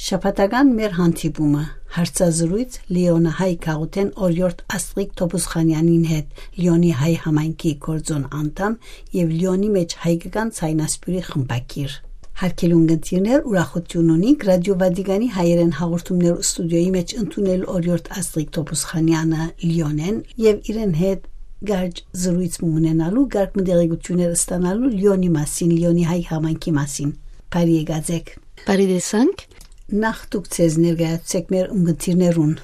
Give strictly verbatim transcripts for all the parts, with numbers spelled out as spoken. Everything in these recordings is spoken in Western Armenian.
Շաբաթական մեր հանդիպումը, հարցազրոյց Լիոնը հայ գաղութէն օրիորդ Աստղիկ Թոփուսխանեանին հետ, Լիոնի հայ համայնքի գործոն անդամ եւ Լիոնի մէջ հայկական ցայնասպիւրի խմբագիր։ Հարգելի ունգընտիրներ, ուրախութիւն ունինք Ռադիո Վատիկանի հայերէն հաղորդումներու ստուդիոյի մէջ ընդունել օրիորդ Աստղիկ Թոփուսխանեանը Լիոնէն եւ իրեն հետ գարջ զրոյց մը ունենալու, գարկ մը տեղեկութիւններ ստանալու Լիոնի մասին, Լիոնի հայ համայնքի մասին։ Բարի եկած եք։ Բարի տեսանք։ Նախ դուք ձեզ ներկայացուցեք մեր ունգընտիրներուն։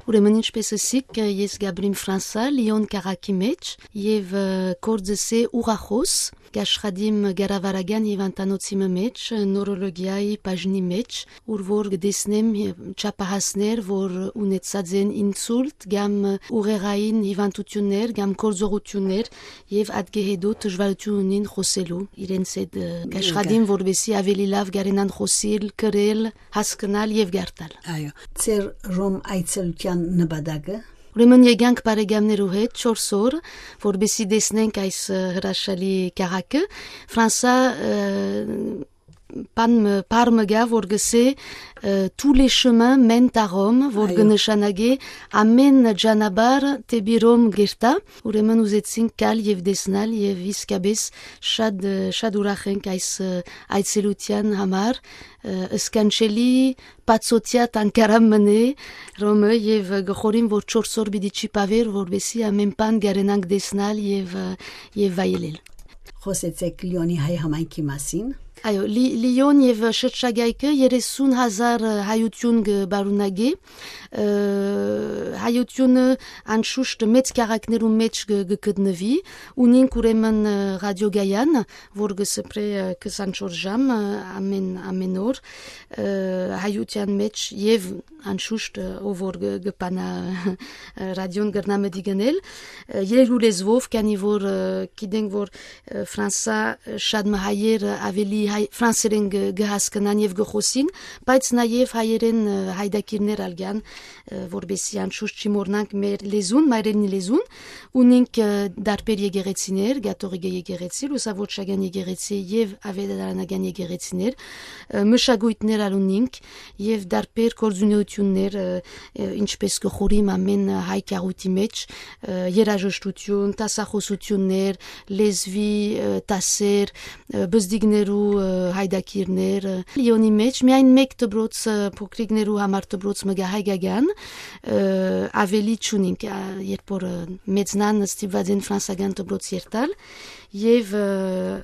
Ուրեմն, ինչպես ըսիք, ես Գաբրիմ Ֆրանսա, Լիոն քաղաքի մէջ, եւ, ը, գործս է ուղղախոս, կաշխատիմ կառավարական հիւանդանոցի մը մէջ, նորոլոգիայի բաժնի մէջ, ուր որ կտեսնեմ չափահասներ, որ ունեցած են ինսուլտ կամ ուղեղային հիւանդութիւններ կամ գործողութիւններ, եւ ատկէ հետո դժուարութիւն ունին խօսելու իրենց հետ, ը, կաշխատիմ, որպեսզի ավելի լաւ կարենան խօսիլ, գրել, հասկնալ եւ գարտալ։ Այո, ձեր Ռոմ այցելութեան նպատակը։ Ուրեմն եկանք բարեկամներու հետ չորս օր, որպեսզի տեսնենք այս, ը, հրաշալի քաղաքը։ Ֆրանսա, ը, բան մը, բառ մը կայ, որ կսէ, ը, «Tous les chemins mènent à Rome», որ Այո։ կնշանակէ «Ամէն ճանապարհ դէպի Ռոմ կերթայ»։ Ուրեմն ուզեցինք գալ եւ տեսնալ եւ իսկապէս շատ, ը, շատ ուրախ ենք այս, ը, այցելութեան համար, ը, սքանչելի բացօթեայ թանգարան մը է Ռոմը, եւ, ը, կը խորհեմ, որ չորս օր պիտի չի բաւեր, որպեսզի ամէն բան կարենանք տեսնալ եւ, ը, եւ վայելել։ Խօսեցեք Լիոնի հայ համայնքի մասին։ Այո, Լի-, Լիոն եւ շրջակայքը երեսուն հազար հայութիւն կը պարունակի։ Ը, հայութիւնը անշուշտ մեծ քաղաքներու մէջ կը, կը գտնուի։ Ունինք ուրեմն, ը, ռադիոգայան, որ կը սփռէ, ը, քսանչորս ժամ, ը, ամէն, ամէն օր, ը, հայութեան մէջ եւ անշուշտ, ը, ով որ կը, կը բանա, ը, ռադիոն կրնայ մտի գնել, ը, երկու լեզուով, քանի որ, ը, գիտենք, որ, ը, Ֆրանսա, ը, շատ մը հայեր, ը, ավելի հայ-, ֆրանսերեն կը, կը հասկնան եւ կը խօսին, բայց նաեւ հայերեն, ը, հայդակիրներ ալ կան, ը, որպեսզի անշուշտ չի մոռնանք մեր լեզուն, մայրենի լեզուն, ունինք, ը, տարբեր եկեղեցիներ, կաթողիկէ եկեղեցի, լուսավորչական եկեղեցի եւ աւետարանական եկեղեցիներ, ը, մշակոյթներ ալ ունինք եւ տարբեր գործունեութիւններ, ը, ը, ինչպես կը խորհիմ ամէն հայ գաղութի մէջ, ը, երաժշտութիւն, դասախօսութիւններ, լեզուի, ը, դասեր, ը, բզդիկներու, ը, հայդակիրներ, ը, Լիոնի մէջ միայն մէկ դպրոց, ը, փոքրիկներու համար դպրոց մը կայ հայկական, ը, ավելի չունինք, ա, երբ որ, ը, մեծնան ստիպված են ֆրանսական դպրոց երթալ, եւ, ը,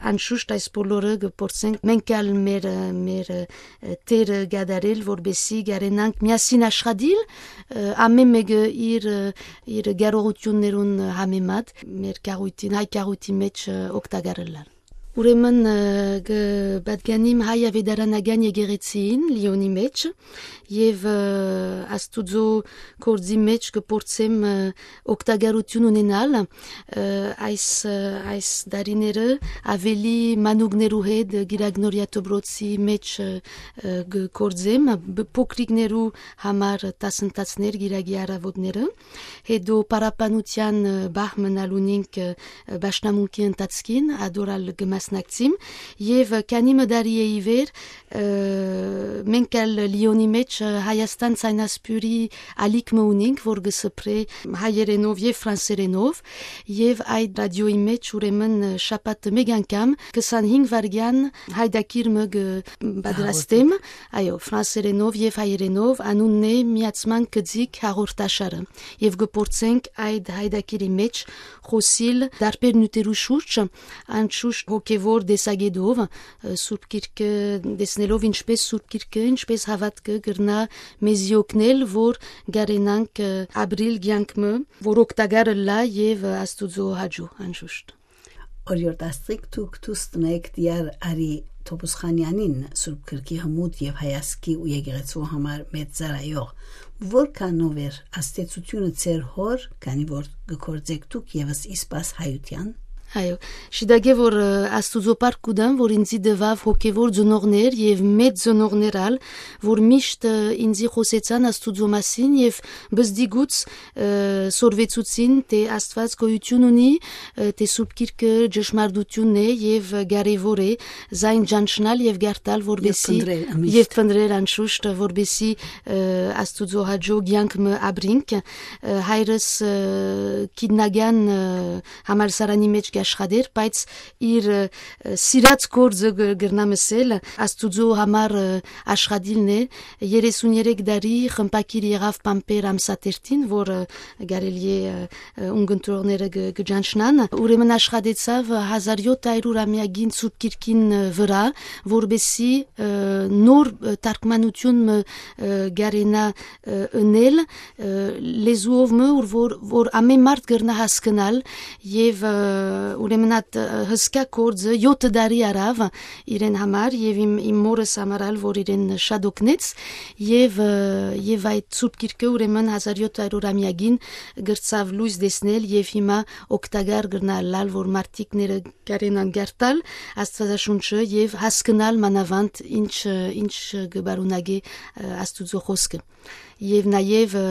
անշուշտ այս բոլորը կը փորձենք մենք ալ մեր, ը, մեր, ը, դերը կատարել, որպեսզի կարենանք միասին աշխատիլ, ը, ամէն մէկը իր, ը, իր կարողութիւններուն համեմատ մեր գաղութին, հայ գաղութի մէջ, ը, օգտակար ըլլալ։ Ուրեմն, ը, կը պատկանիմ հայ աւետարանական եկեղեցիին Լիոնի մէջ եւ, ը, Աստուծոյ գործի մէջ կը փորձեմ, ը, օգտակարութիւն ունենալ, ը, այս, ը, այս տարիները ավելի մանուկներու հետ Կիրակնորիա դպրոցի մէջ, ը, ը, կը գործեմ, բ-, փոքրիկներու համար դասընթացներ Կիրակի առաւօտները, հետո պարապանութեան, ը, պահ մը ալ ունինք, ը, պաշտամունքի ընթացքին, ադոր ալ կը մասնակցիմ, եւ, ը, քանի մը տարի է ի վեր, ը, մենք ալ Լիոնի մէջ, ը, Հայաստան ցայնասփիւռի ալիք մը ունինք, որ կը սփռէ հայերենով եւ ֆրանսերենով, եւ այդ ռադիոյի մէջ ուրեմն, ը, շաբաթը մէկ անգամ քսանհինգ վայրկեան հայդակիր մը կը պատրաստեմ, այո, ֆրանսերենով եւ հայերենով, անունն է «Միացման գծիկ» հաղորդաշարը, եւ կը փորձենք այդ հայդակիրի մէջ խօսիլ տարբեր նիւթերու շուրջ, անշուշտ հոգեվոր տեսակետով, ը, Սուրբ Գիրքը տեսնելով, ինչպես Սուրբ Գիրքը, ինչպես հաւատքը կրնայ մեզի օգնել, որ կարենանք, ը, ապրիլ կեանք մը, որ օգտակար ըլլայ եւ, ը, Աստուծոյ հաճոյ անշուշտ։ Օրիորդ Աստղիկ, դուք դուստն եք Տիար Արի Թոփուսխանեանին, Սուրբ Գրքի հմուտ եւ հայազգի ու եկեղեցու համար մեծ ծառայող։ Որքանով էր ազդեցութիւնը ձեր հօր, քանի որ կը գործէք դուք եւս ի սպաս հայութեան։ Այո, շիտակէ որ, ը, Աստուծոյ փառք կու տամ, որ ինձի տուաւ հոգեվոր ծնողներ եւ մեծ ծնողներ ալ, որ միշտ, ը, ինձի խօսեցան Աստուծոյ մասին եւ բզդիգուց, ը, սորվեցուցին, թէ Աստուած գոյութիւն ունի, ը, թէ Սուրբ Գիրքը ճշմարտութիւնն է եւ կարեւոր է զայն ճանչնալ եւ գարտալ, որպեսզի փնտռել, միշտ։ Եւ փնտռել անշուշտ, որպեսզի, ը, Աստուծոյ հաճոյ կեանք մը ապրինք։ Ը, հայրս, ը, գիտնական, ը, համալսարանի մէջ կ'աշխատէր, բայց իր, ը, սիրած գործը գ-, կրնամ ըսել, Աստուծոյ համար, ը, աշխատիլն է։ Երեսուն երեք տարի խմբագիր եղաւ Պամպեր ամսաթերթին, որ, ը, կարելի է, ը, ը, ունկնդրողները կը, կը ճանչնան։ Ուրեմն աշխատեցաւ հազար յոթ հարյուր ամեակին Սուրբ Գիրքին, ը, վրայ, որպեսզի, ը, նոր, ը, թարգմանութիւն մը, ը, կարենայ, ը, ընել, ը, լեզուով մը, որ, որ, որ ամեն մարդ կրնայ հասկնալ եւ, ը, ուրեմն այդ, ը, հսկայ գործը յոթ տարի առաւ իրեն համար եւ իմ, իմ մորս համար ալ, որ իրեն շատ օգնեց եւ, ը, եւ այդ Սուրբ Գիրքը ուրեմն հազար յոթ հարյուր ամեակին կրցաւ լոյս տեսնել եւ հիմա օգտակար կրնայ ըլլալ, որ մարդիկները կարենան գարտալ Աստուածաշունչը եւ հասկնալ մանաւանդ ինչ, ը, ինչ կը պարունակէ, ը, Աստուծոյ խօսքը։ Եւ նաեւ, ը,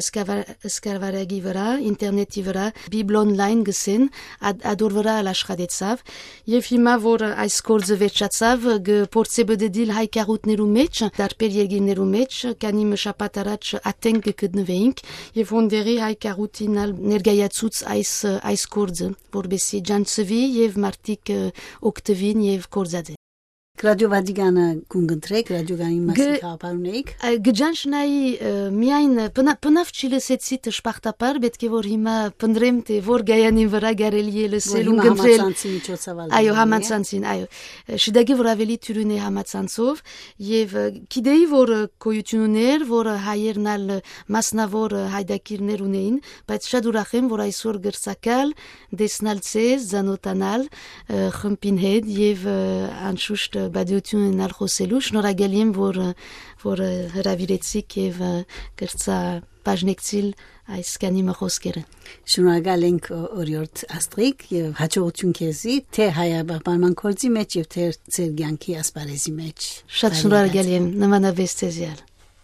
Սկավա-, Սկավառակի վրայ, ինտերնետի վրայ, Bible Online գսեն, ատ-, ադոր վրայ ալ աշխատեցաւ։ Եւ հիմա որ այս գործը վերջացաւ, կը փորձէ բդդիլ հայ գաղութներու մէջ, տարբեր երկիրներու մէջ, քանի մը շաբաթ առաջ Աթեն կը գտնուէինք, եւ հոնդեղի հայ գաղութին ալ ներկայացուց այս, այս գործը, որպեսզի ճանչցուի եւ մարդիկ, ը, օգտուին եւ գործածեն։ Ռադիո Վատիկանը կունկնդրեք, ռադիոկանի մասին Գ-, գաղափար ունեիք։ Ա, կը ճանչնայի, ը, միայն, ը, բնա-, բնավ չի լսեցի դժբախտաբար, պետք է որ հիմա փնտրեմ, թէ որ գայանին վրայ կարելի է լսել Որ ու հիմա կընտրել։ Համացանցի միջոցով ալ Այո, կարելի է։ Համացանցին, այո։ Ը, շիտակի որ ավելի թիւրին է համացանցով, եւ, ը, գիտեի որ, ը, գոյութիւն ուներ, որ, ը, հայերն ալ, ը, մասնաւոր, ը, հայդակիրներ ունեին, բայց շատ ուրախ եմ որ այսօր կրցակալ, տեսնալ ձեզ, ծանօթանալ, ը, խմբին հետ եւ, ը, անշուշտ, ը, բադիութիւն ունենալ խօսելու։ Շնորհակալ եմ որ, ը, որ, ը, հրաւիրեցիք եւ, ը, կրցայ բաժնեկցիլ այս քանի մը խօսքերը։ Շնորհակալ ենք, օ-, օրիորդ Աստղիկ, եւ հաջողութիւն քեզի, թէ հայաբախմանման գործի մէջ եւ թէ ձեր կեանքի ասպարէզի մէջ։ Շատ շնորհակալ եմ, նմանապես ձեզի ալ։